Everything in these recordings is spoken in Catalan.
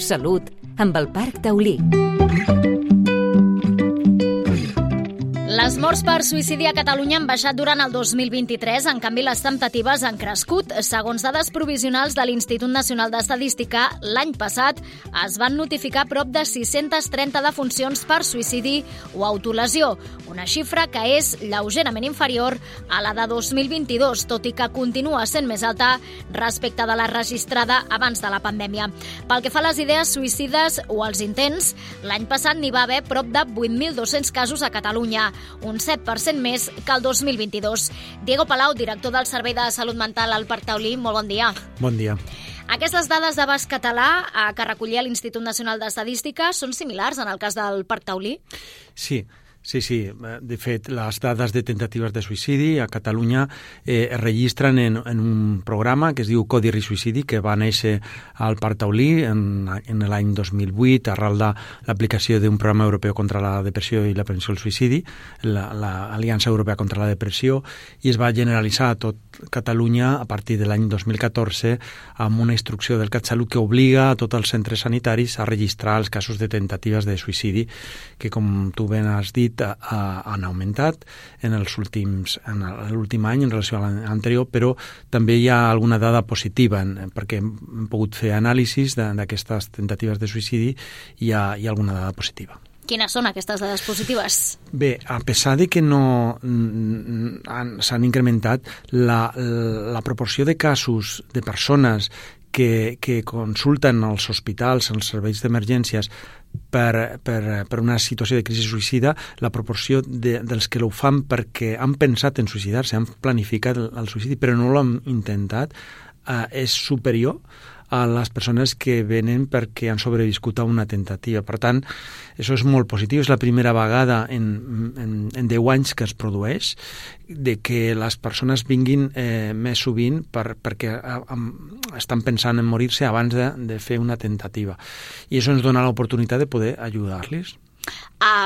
Salut, amb el Parc Taulí. Les morts per suïcidi a Catalunya han baixat durant el 2023, en canvi les temptatives han crescut. Segons dades provisionals de l'Institut Nacional d'Estadística, l'any passat es van notificar prop de 630 defuncions per suïcidi o autolesió, una xifra que és lleugerament inferior a la de 2022, tot i que continua sent més alta respecte de la registrada abans de la pandèmia. Pel que fa a les idees suïcides o als intents, l'any passat n'hi va haver prop de 8.200 casos a Catalunya, un 7% més que el 2022. Diego Palau, director del Servei de Salut Mental al Parc Taulí, molt bon dia. Bon dia. Aquestes dades d'abast català que recollia l'Institut Nacional d'Estadística són similars en el cas del Parc Taulí? Sí. De fet, les dades de tentatives de suïcidi a Catalunya es registren en un programa que es diu Codi Risc Suïcidi, que va néixer al Parc Taulí en l'any 2008 arrel de l'aplicació d'un programa europeu contra la depressió i la prevenció del suïcidi, l'Aliança Europea contra la Depressió, i es va generalitzar a tot Catalunya a partir de l'any 2014 amb una instrucció del CatSalut que obliga a tots els centres sanitaris a registrar els casos de tentatives de suïcidi, que, com tu ben has dit, han augmentat en l'últim any en relació a l'any anterior, però també hi ha alguna dada positiva, perquè hem pogut fer anàlisis d'aquestes tentatives de suïcidi i hi ha alguna dada positiva. Quines són aquestes dades positives? Bé, a pesar de que no s'han incrementat, la proporció de casos de persones que consulten als hospitals, als serveis d'emergències, per una situació de crisi suïcida, la proporció dels que ho fan perquè han pensat en suïcidar-se, han planificat el suïcidi però no l'han intentat, és superior a les persones que venen perquè han sobreviscut a una tentativa. Per tant, això és molt positiu. És la primera vegada en 10 anys que es produeix de que les persones vinguin més sovint perquè estan pensant en morir-se abans de fer una tentativa. I això ens dona l'oportunitat de poder ajudar-los.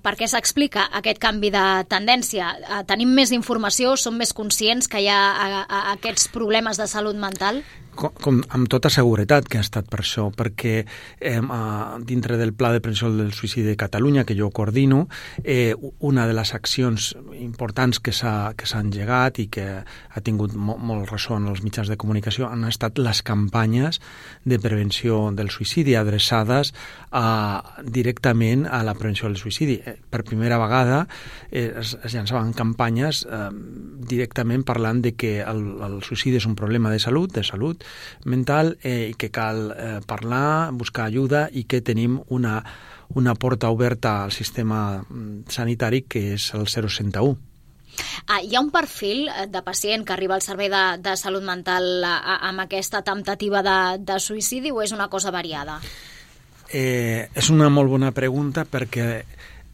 Per què s'explica aquest canvi de tendència? Tenim més informació, som més conscients que hi ha aquests problemes de salut mental? Amb tota seguretat que ha estat per això, perquè dintre del Pla de Prevenció del Suïcidi de Catalunya, que jo coordino, una de les accions importants que s'ha engegat i que ha tingut molt ressò en els mitjans de comunicació han estat les campanyes de prevenció del suïcidi adreçades directament a la prevenció del suïcidi. Per primera vegada es llançaven campanyes directament parlant de que el suïcidi és un problema de salut mental, i que cal parlar, buscar ajuda i que tenim una porta oberta al sistema sanitari que és el 061. Hi ha un perfil de pacient que arriba al servei de salut mental amb aquesta temptativa de suïcidi o és una cosa variada? És una molt bona pregunta perquè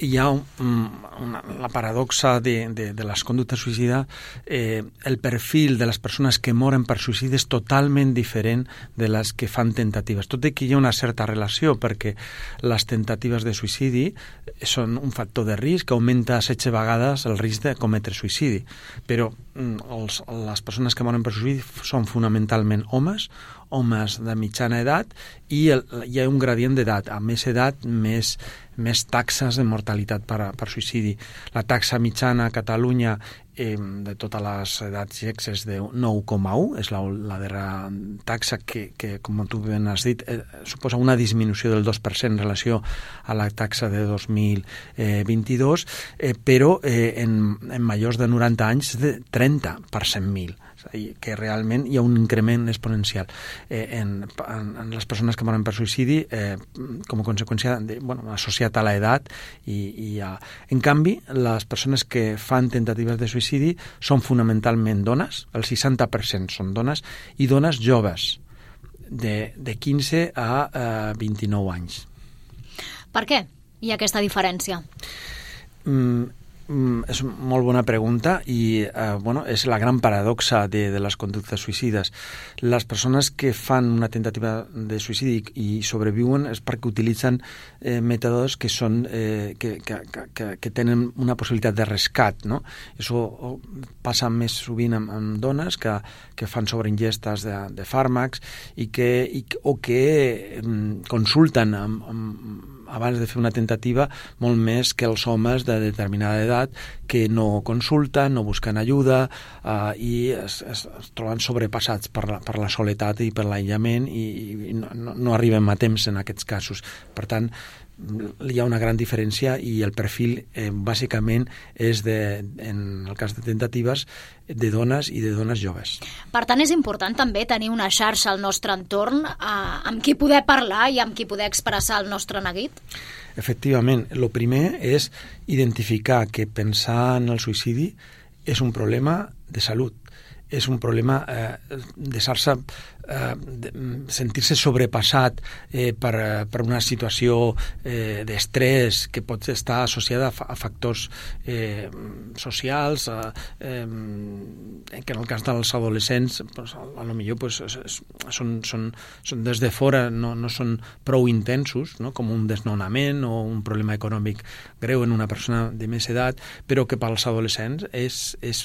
hi ha la paradoxa de les conductes suïcides. El perfil de les persones que moren per suïcidi és totalment diferent de les que fan tentatives, tot i que hi ha una certa relació, perquè les tentatives de suïcidi són un factor de risc que augmenta 16 vegades el risc de cometre suïcidi, però les persones que moren per suïcidi són fonamentalment homes de mitjana edat, i hi ha un gradient d'edat. A més edat, més taxes de mortalitat per suïcidi. La taxa mitjana a Catalunya de totes les edats i sexes de 9,1, és la darrera taxa que, com tu ben has dit, suposa una disminució del 2% en relació a la taxa de 2022, però en majors de 90 anys de 30 per 100.000. Que realment hi ha un increment exponencial en les persones que moren per suïcidi com a conseqüència associat a l'edat en canvi, les persones que fan tentatives de suïcidi són fonamentalment dones, el 60% són dones, i dones joves de 15 a 29 anys. Per què hi ha aquesta diferència? és molt bona pregunta i és la gran paradoxa de les conductes suïcides. Les persones que fan una tentativa de suïcidi i sobreviuen és perquè utilitzen mètodes que són que tenen una possibilitat de rescat, no? Això passa més sovint amb dones que fan sobreingestes de fàrmacs o que consulten abans de fer una tentativa molt més que els homes de determinada edat que no consulten, no busquen ajuda i es troben sobrepassats per la soledat i per l'aïllament i no arribem a temps en aquests casos. Per tant, hi ha una gran diferència i el perfil bàsicament és en el cas de tentatives de dones i de dones joves. Per tant, és important també tenir una xarxa al nostre entorn amb qui poder parlar i amb qui poder expressar el nostre neguit? Efectivament, el primer és identificar que pensar en el suïcidi és un problema de salut, és un problema sentir-se sobrepassat per una situació d'estrès que pot estar associada a factors socials que en el cas dels adolescents potser són des de fora, no són prou intensos, no? Com un desnonament o un problema econòmic greu en una persona de més edat, però que pels adolescents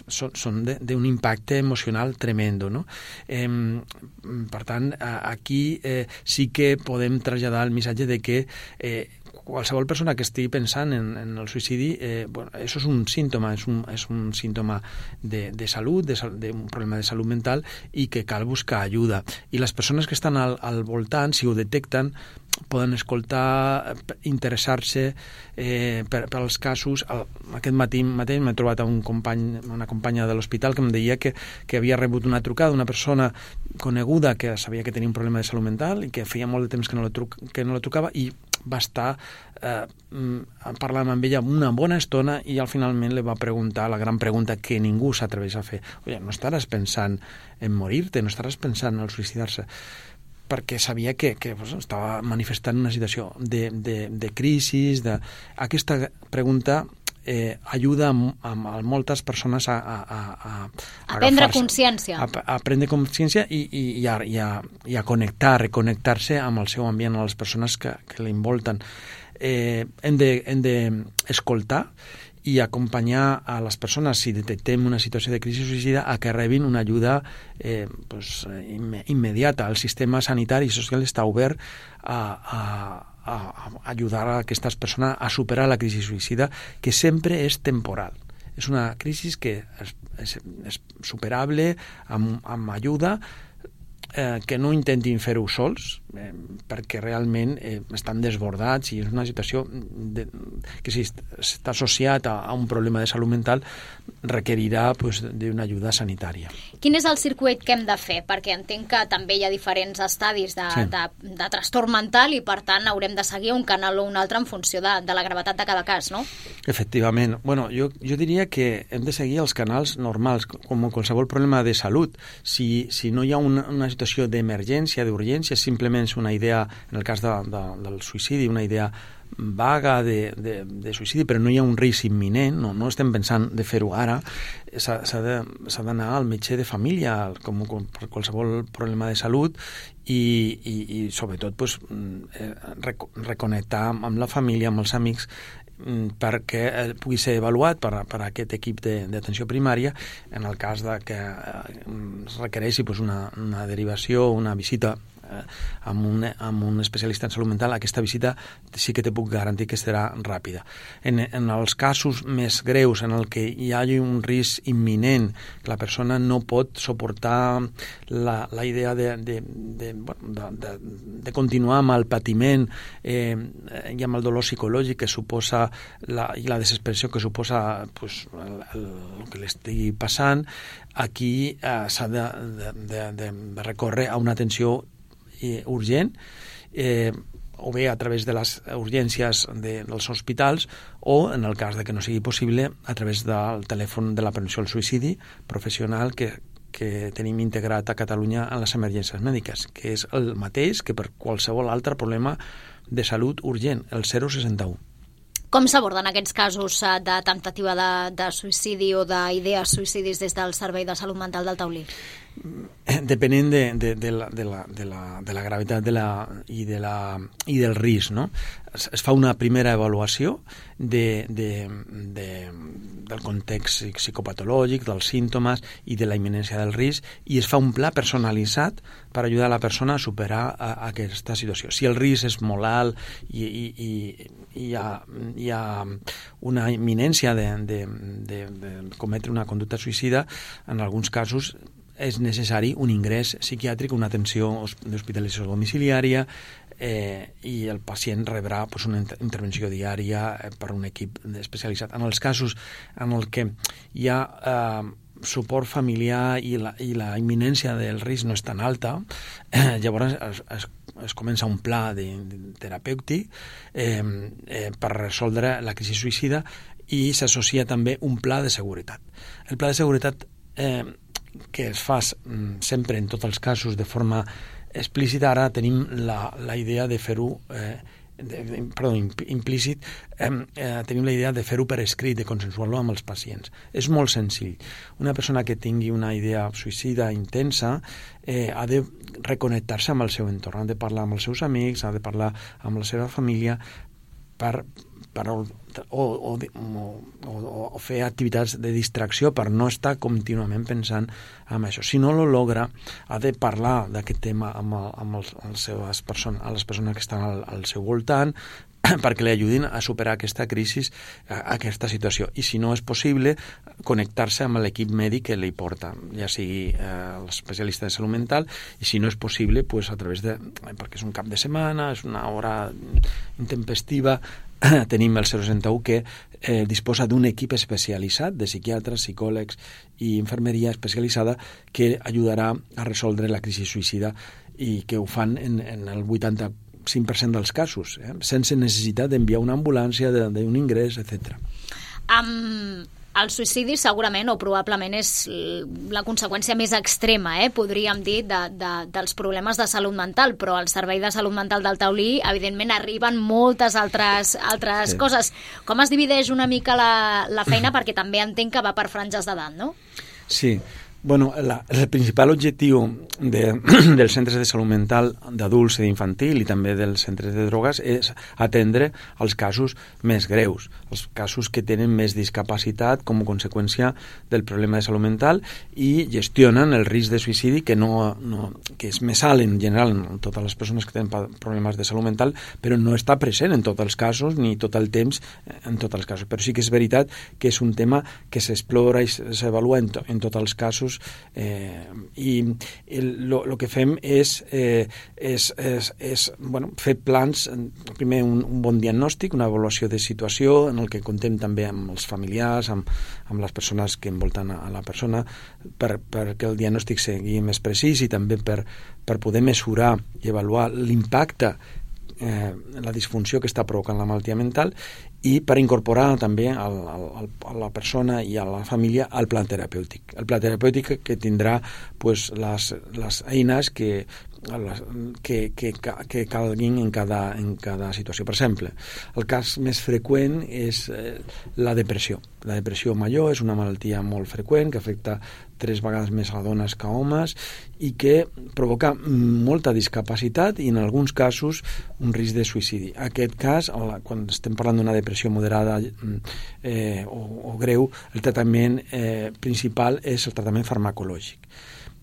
són d'un impacte emocional tremendo, no? Per tant, aquí sí que podem traslladar el missatge de que qualsevol persona que estigui pensant en el suïcidi, això és un símptoma, és un símptoma de salut, d'un problema de salut mental i que cal buscar ajuda. I les persones que estan al voltant, si ho detecten, poden escoltar, interessar-se pels casos. Aquest matí mateix m'he trobat una companya de l'hospital que em deia que havia rebut una trucada d'una persona coneguda que sabia que tenia un problema de salut mental i que feia molt de temps que no la trucava i va estar parlant amb ella una bona estona i al finalment li va preguntar la gran pregunta que ningú s'atreveix a fer. Oye, no estaràs pensant en morir-te, no estaràs pensant en suïcidar-se? Perquè sabia que estava manifestant una situació de crisi. Aquesta pregunta ajuda a moltes persones a prendre consciència. A prendre consciència i a reconnectar-se amb el seu ambient, a les persones que l'envolten. Hem d'escoltar i acompanyar a les persones, si detectem una situació de crisi suïcida, a que rebin una ajuda immediata. El sistema sanitari i social està obert a ajudar a aquestes persones a superar la crisi suïcida, que sempre és temporal. És una crisi que és superable amb ajuda, que no intentin fer-ho sols, perquè realment estan desbordats i és una situació que si està associat a un problema de salut mental requerirà d'una ajuda sanitària. Quin és el circuit que hem de fer? Perquè entenc que també hi ha diferents estadis de trastorn mental i per tant haurem de seguir un canal o un altre en funció de la gravetat de cada cas, no? Efectivament. Bueno, jo diria que hem de seguir els canals normals, com qualsevol problema de salut. Si no hi ha una situació d'emergència, d'urgència, simplement és una idea, en el cas del suïcidi, una idea vaga de suïcidi, però no hi ha un risc imminent, no estem pensant de fer-ho ara, s'ha d'anar al metge de família, com per qualsevol problema de salut, i sobretot reconnectar amb la família, amb els amics, perquè pugui ser avaluat per aquest equip d'atenció primària en el cas que es requereixi una derivació, una visita amb un especialista en salut mental. Aquesta visita sí que te puc garantir que serà ràpida. En els casos més greus en el que hi hagi un risc imminent, que la persona no pot suportar la idea de continuar amb el patiment i amb el dolor psicològic que suposa i la desesperació que suposa el que l'estigui passant, aquí s'ha de recórrer a una atenció urgent, o bé a través de les urgències dels hospitals o, en el cas de que no sigui possible, a través del telèfon de la prevenció al suïcidi professional que tenim integrat a Catalunya en les emergències mèdiques, que és el mateix que per qualsevol altre problema de salut urgent, el 061. Com s'aborden aquests casos de temptativa de suïcidi o d'idees suïcidis des del Servei de Salut Mental del Taulí? Depenent de la gravetat i del risc, no? Es fa una primera avaluació del context psicopatològic, dels símptomes i de la imminència del risc, i es fa un pla personalitzat per ajudar a la persona a superar aquesta situació. Si el risc és molt alt i hi ha una imminència de cometre una conducta suïcida, en alguns casos és necessari un ingrés psiquiàtric, una atenció d'hospitalització domiciliària, i el pacient rebrà una intervenció diària per un equip especialitzat. En els casos en el que hi ha suport familiar i la imminència del risc no és tan alta, llavors es comença un pla terapèutic per resoldre la crisi suïcida, i s'associa també un pla de seguretat. El pla de seguretat que es fa sempre en tots els casos de forma explícita, ara tenim la idea de fer-ho implícit, tenim la idea de fer-ho per escrit, de consensuar-lo amb els pacients. És molt senzill. Una persona que tingui una idea suïcida intensa ha de reconnectar-se amb el seu entorn, ha de parlar amb els seus amics, ha de parlar amb la seva família o fer activitats de distracció per no estar contínuament pensant en això. Si no lo logra, ha de parlar d'aquest tema amb les persones que estan al seu voltant, perquè li ajudin a superar aquesta crisi, aquesta situació. I si no és possible, connectar-se amb l'equip mèdic que li porta, ja sigui l'especialista de salut mental, i si no és possible, a través perquè és un cap de setmana, és una hora intempestiva, tenim el 061 que disposa d'un equip especialitzat de psiquiatres, psicòlegs i infermeria especialitzada que ajudarà a resoldre la crisi suïcida, i que ho fan en el 85% dels casos, sense necessitat d'enviar una ambulància, d'un ingrés, etc. El suïcidi segurament o probablement és la conseqüència més extrema, podríem dir, dels problemes de salut mental, però al Servei de Salut Mental del Taulí, evidentment, arriben moltes altres coses. Com es divideix una mica la feina? Perquè també entenc que va per franges d'edat, no? Sí. Bueno, el principal objectiu dels centres de salut mental d'adults i d'infantil i també dels centres de drogues és atendre els casos més greus, els casos que tenen més discapacitat com a conseqüència del problema de salut mental, i gestionen el risc de suïcidi que és més alt en general en totes les persones que tenen problemes de salut mental, però no està present en tots els casos ni tot el temps en tots els casos. Però sí que és veritat que és un tema que s'explora i s'avalua en tots els casos, i el que fem és fer plans, primer un bon diagnòstic, una avaluació de situació en el que contem també amb els familiars, amb les persones que envolten a la persona, perquè el diagnòstic sigui més precís i també per poder mesurar i avaluar l'impacte, la disfunció que està provocant la malaltia mental, i per incorporar també a la persona i a la família al pla terapèutic. El pla terapèutic que tindrà les eines que calguin en cada situació. Per exemple, el cas més freqüent és la depressió. La depressió major és una malaltia molt freqüent que afecta 3 vegades més a dones que a homes i que provoca molta discapacitat i en alguns casos un risc de suïcidi. En aquest cas, quan estem parlant d'una depressió moderada o greu, el tractament principal és el tractament farmacològic.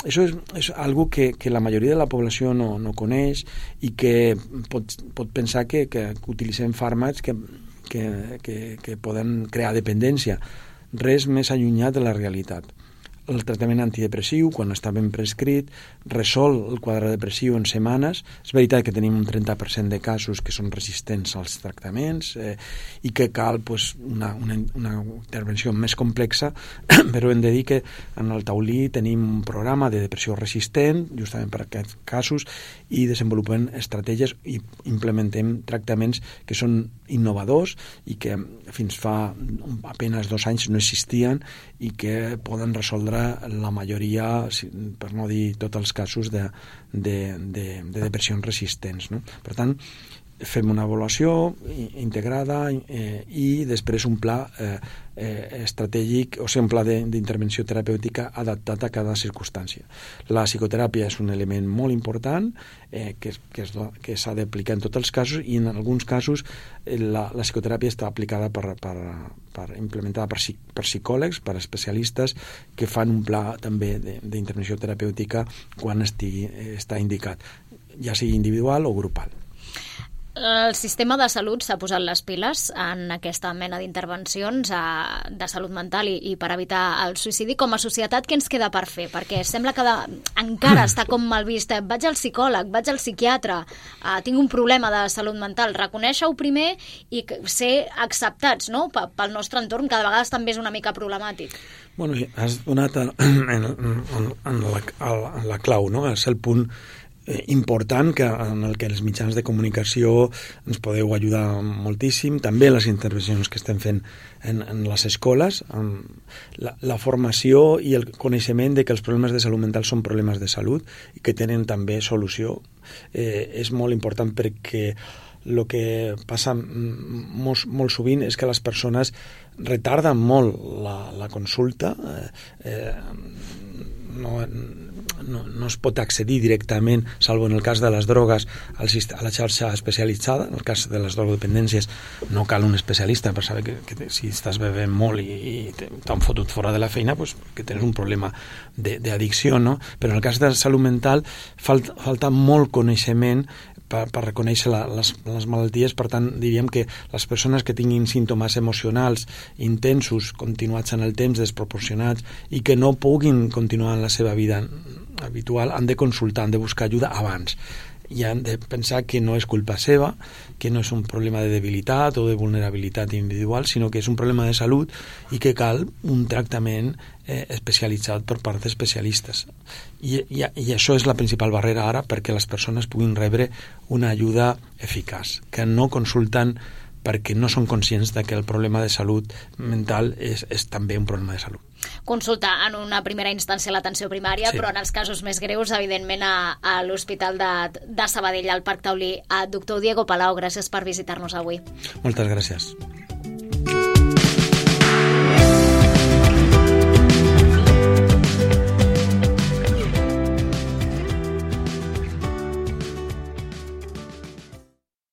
Això és algo que la majoria de la població no coneix i que pot pensar que utilitzem fàrmacs que poden crear dependència. Res més allunyat de la realitat. El tractament antidepressiu, quan està ben prescrit, resol el quadre depressiu en setmanes. És veritat que tenim un 30% de casos que són resistents als tractaments i que cal una intervenció més complexa, però hem de dir que en el Taulí tenim un programa de depressió resistent, justament per aquests casos, i desenvolupem estratègies i implementem tractaments que són innovadors i que fins fa apenas 2 anys no existien i que poden resoldre la majoria, per no dir tots els casos de depressions resistents, no? Per tant, fem una avaluació integrada i després un pla estratègic, o sigui, un pla d'intervenció terapèutica adaptat a cada circumstància. La psicoteràpia és un element molt important que s'ha d'aplicar en tots els casos, i en alguns casos la psicoteràpia està aplicada implementada per psicòlegs, per especialistes que fan un pla també d'intervenció terapèutica quan està indicat, ja sigui individual o grupal. El sistema de salut s'ha posat les piles en aquesta mena d'intervencions de salut mental i per evitar el suïcidi. Com a societat, què ens queda per fer? Perquè sembla que encara està com mal vist. Vaig al psicòleg, vaig al psiquiatre, tinc un problema de salut mental. Reconèixer-ho primer i ser acceptats, no? Pel nostre entorn, que de vegades també és una mica problemàtic. Bueno, has donat en la clau, no? És el punt important en el que els mitjans de comunicació ens podeu ajudar moltíssim, també les intervencions que estem fent en les escoles, la formació i el coneixement de que els problemes de salut mental són problemes de salut i que tenen també solució és molt important, perquè el que passa molt sovint és que les persones retarden molt la consulta, no es pot accedir directament, salvo en el cas de les drogues, a la xarxa especialitzada. En el cas de les drogodependències no cal un especialista per saber que si estàs bevent molt i t'han fotut fora de la feina, pues, que tens un problema d'addicció, no? Però en el cas de la salut mental falta molt coneixement per reconèixer les malalties. Per tant, diríem que les persones que tinguin símptomes emocionals intensos, continuats en el temps, desproporcionats, i que no puguin continuar en la seva vida habitual, han de consultar, han de buscar ajuda abans. I han de pensar que no és culpa seva, que no és un problema de debilitat o de vulnerabilitat individual, sinó que és un problema de salut i que cal un tractament especialitzat per part d'especialistes. I això és la principal barrera ara perquè les persones puguin rebre una ajuda eficaç, que no consulten perquè no són conscients de que el problema de salut mental és també un problema de salut. Consultar en una primera instància l'atenció primària, sí, però en els casos més greus, evidentment, a l'Hospital de Sabadell, al Parc Taulí. Doctor Diego Palau, gràcies per visitar-nos avui. Moltes gràcies.